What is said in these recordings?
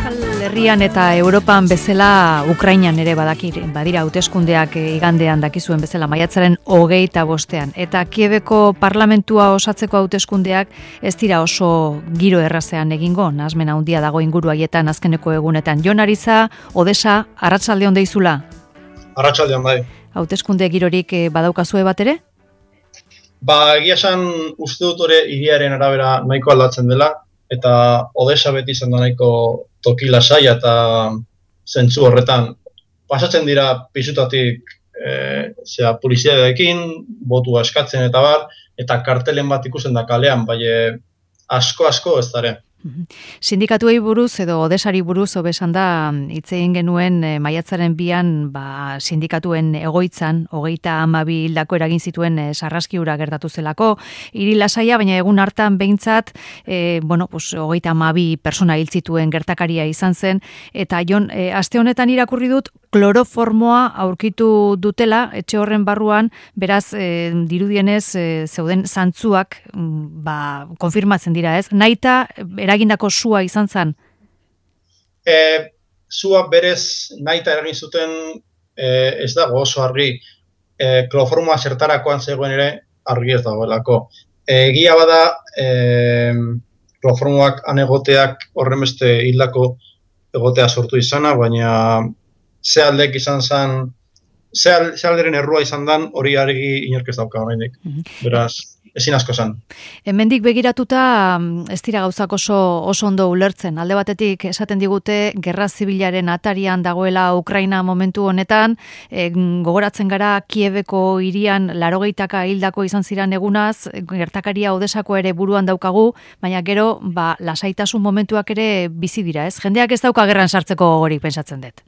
Euskal Herrian eta Europan bezala Ukrainan ere badira hauteskundeak igandean dakizuen bezala maiatzaren 25ean. Eta Kieveko parlamentua osatzeko hauteskundeak ez dira oso giro errazean egingo, nahasmen handia dago inguru haietan azkeneko egunetan. Jon Ariza, Odesa, arratsaldeon deizula? Arratsaldeon bai. Hauteskunde girorik badaukazue bat ere? Egia esan uste dut hori hiriaren arabera nahiko aldatzen dela, eta Odesa beti izan da nahiko toki lasaia eta zentzu horretan. Pasatzen dira pisutatik poliziarekin, botua eskatzen eta bar, eta kartelen bat ikusten da kalean, bai asko ez dara. Sindikatuei buruz edo Odesari buruz hobesan da hitz egin genuen maiatzaren 2an sindikatuen egoitzan 32 hildako eragin zituen sarraski hura gertatu zelako, hiri lasaia, baina egun hartan behintzat 32 pertsona hil zituen gertakaria izan zen, eta Jon, aste honetan irakurri dut kloroformoa aurkitu dutela etxe horren barruan, beraz dirudienez zeuden zantzuak konfirmatzen dira, ez? Naita eragindako sua izan zen? Sua berez nahita eragin zuten ez dago oso argi. Kloroformoa zertarakoan zegoen ere argi ez dagoelako. Egia bada kloroformoak anegoteak horren beste hildako egotea sortu izana, baina ze aldek izan zen, ze alderen errua izan dan hori argi inork ez dauka oraindik. Beraz, ezin asko zen. Hemendik begiratuta ez dira gauzak oso ondo ulertzen. Alde batetik esaten digute gerra zibilaren atarian dagoela Ukraina momentu honetan, gogoratzen gara Kieveko hirian 80 hildako izan ziren egunaz, gertakaria Odesako ere buruan daukagu, baina gero lasaitasun momentuak ere bizi dira, ez? Jendeak ez dauka gerran sartzeko gogorik pensatzen dut.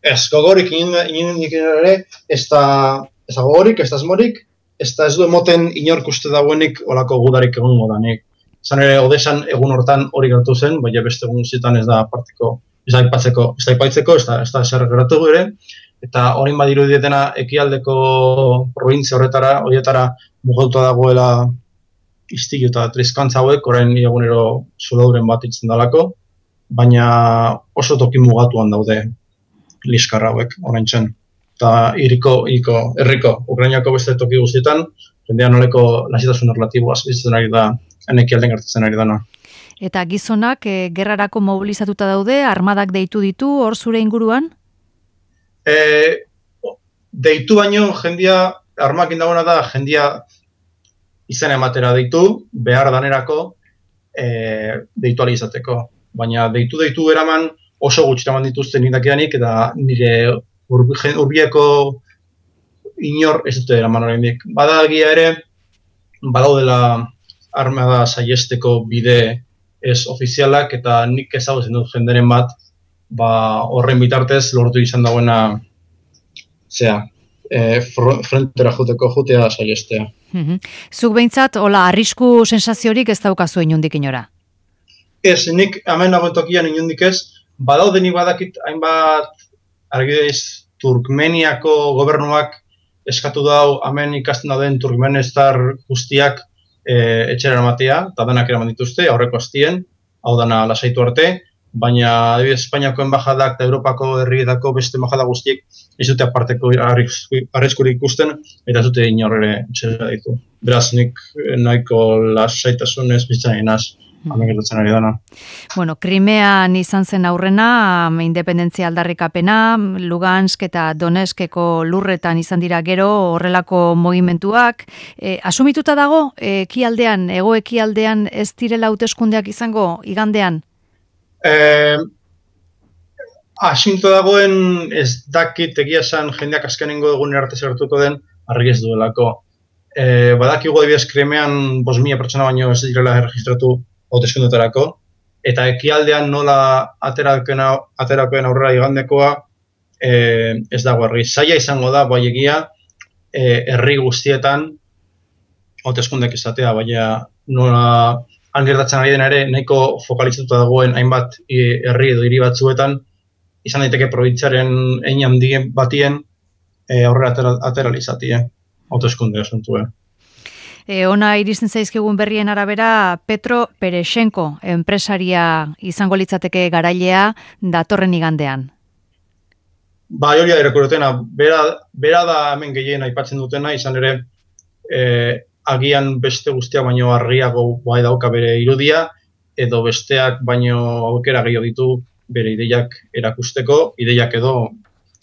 Ez gogorik inondik ere, ez da gogorik, ez da asmorik, ez du emoten inork uste dagoenik olako gudarik egongo danik. Zan ere, Odesan egun hortan hori gertu zen, baina beste egun guztietan ez da aparteko, ez da aipatzeko, ez da zer geratu ere, eta horin badiru dietena ekialdeko provintzia horietara mugauta dagoela istilu eta trizkantza hauek, orain egunero zulauren bat itzen dalako, baina oso toki mugatuan daude liskarra hauek, orain txen. Eta herriko, Ukrainako beste toki guztietan, jendean noleko lasitasun relatiboaz bizitzen ari da, enekialden gertatzen ari dana. Eta gizonak gerrarako mobilizatuta daude, armadak deitu ditu, hor zure inguruan? Deitu baino, jendia, armakin dagoena da, jendia izan ematera deitu, behar danerako deitu ali izateko. Baina deitu eraman oso gutxi eraman dituzten nindakidanik, eta nire urbieko inor ez dute eraman oraindik. Badagia ere, badaudela armada saiesteko bide ez ofizialak, eta nik ezagutzen dut jenderen bat, horren bitartez lortu izan dagoena frontera jutea saiestea. Zuk behintzat, arrisku sensaziorik ez daukazu inondik inora? Ez, nik hemen nagoen tokian inondik ez, badaudenik badakit hainbat argideiz Turkmeniako gobernuak eskatu dau hemen ikasten dauden turkmenestar guztiak etxera eramatea, eta denak eraman dituzte, aurreko astien, hau dana lasaitu arte, baina adibidez Espainiako enbajadak eta Europako herrietako beste enbajada guztiek ez dute aparteko arriskurik ikusten, eta ez dute inor ere etxera ditu. Beraz, nik nahiko lasaitasunez bizitzen naz. Krimean izan zen aurrena, independentzia aldarrikapena, Lugansk eta Donetskeko lurretan izan dira gero horrelako mugimenduak. Asumituta dago, hego ekialdean ez direla hauteskundeak izango igandean? Asumituta dagoen ez dakit egia esan jendeak azkenengo egun arte zertuko den argi ez duelako. Badakigu adibidez Krimean 5.000 pertsona baino ez direla erregistratu hauteskundetarako, eta ekialdean nola aterakoen aurrera igandekoa ez dago argi. Zaila izango da, bai egia, herri guztietan hauteskundek izatea, baina nola gertatzen ari dena ere nahiko fokalizatuta dagoen hainbat herri edo hiri batzuetan, izan daiteke probintziaren hein handien batien aurrera ateralizatie hauteskunde asuntua. Ona iristen zaizkigun berrien arabera, Petro Pereshenko enpresaria izango litzateke garailea datorren igandean. Ba, hori da irakurtena, bera da hemen gehien aipatzen dutena, izan ere agian beste guztiak baino argiago bai dauka bere irudia, edo besteak baino aukera gehiago ditu bere ideiak erakusteko, ideiak edo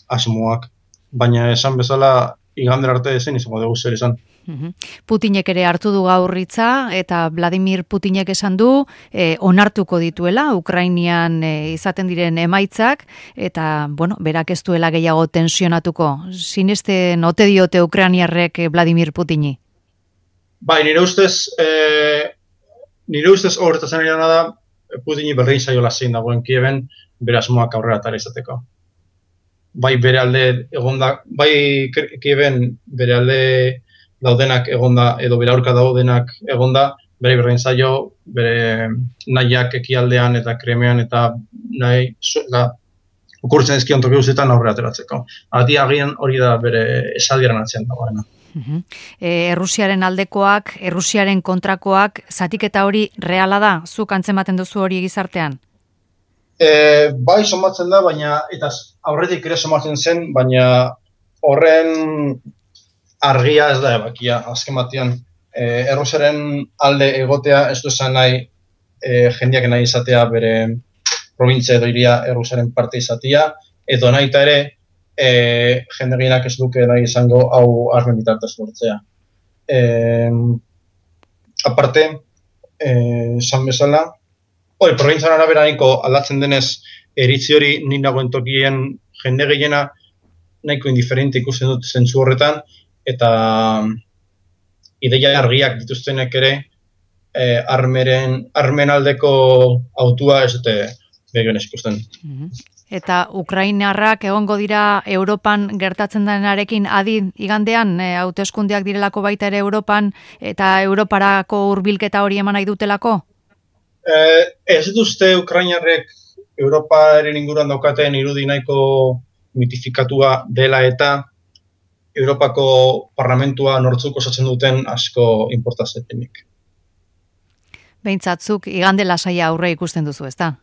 asmoak. Baina esan bezala, igandera arte zen izango dugu zer esan. Putinek ere hartu du gaur hitza eta Vladimir Putinek esan du onartuko dituela Ukrainian izaten diren emaitzak eta berak ez duela gehiago tensionatuko. Sinesten ote diote ukrainiarrek Vladimir Putini? Bai, nire ustez horretazen ari da Putini berdin zaiola zein dagoen Kieven bere asmoak aurrera atera izateko. Bai bere alde egonda, bai Kieven bere alde daudenak egonda, edo bere aurka daudenak egonda, bere berdin zaio, bere nahiak ekialdean eta Krimean eta nahi okurtzen ezkion toki guztietan aurrera ateratzeko. Agian hori da bere esaldiaren atzean dagoena. Errusiaren aldekoak, Errusiaren kontrakoak, zatiketa hori reala da? Zuk antzematen duzu hori gizartean? Bai somatzen da, baina eta aurretik ere somatzen zen, baina horren argia ez da ebakia, azken batean. Errusiaren alde egotea ez du esan nahi jendeak nahi izatea bere provintzia edo iria Errusiaren parte izatea, edo nahi eta ere jende gehienak ez duke nahi izango hau armen bitartez lortzea. Aparte, esan bezala, provintzian arabera nahiko aldatzen denez, eritzi hori nik nagoen tokien jende gehiena nahiko indiferente ikusten dut zentzu horretan, eta ideia argiak dituztenek ere armen aldeko autua ez dute begioen ikusten. Eta Ukrainarrak egongo dira Europan gertatzen denarekin adi igandean, hauteskundeak direlako baita ere Europan, eta Europarako hurbilketa hori eman nahi dutelako? Ez dituzte Ukrainarrek Europaren inguruan daukaten irudi nahiko mitifikatua dela eta Europako parlamentua nortzuk osatzen duten asko importazetenik. Beintzatzuk igande lasaia aurre ikusten duzu, ezta?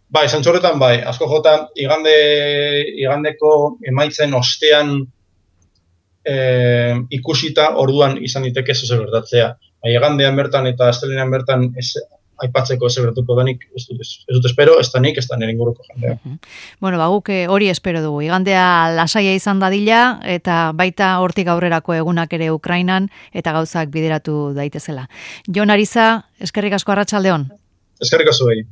Bai, zentzu bai, asko jota igandeko emaitzen ostean ikusita orduan izan diteke ez gertatzea. Bai, igandean bertan eta astelehenean bertan aipatzeko ez gertuko denik, ez dut espero, ez da nik, ez da nire inguruko jendea. Guk hori espero dugu. Igandea lasaia izan dadila eta baita hortik aurrerako egunak ere Ukrainan eta gauzak bideratu daitezela. Jon Ariza, eskerrik asko arratsaldeon. Eskerrik asko behi.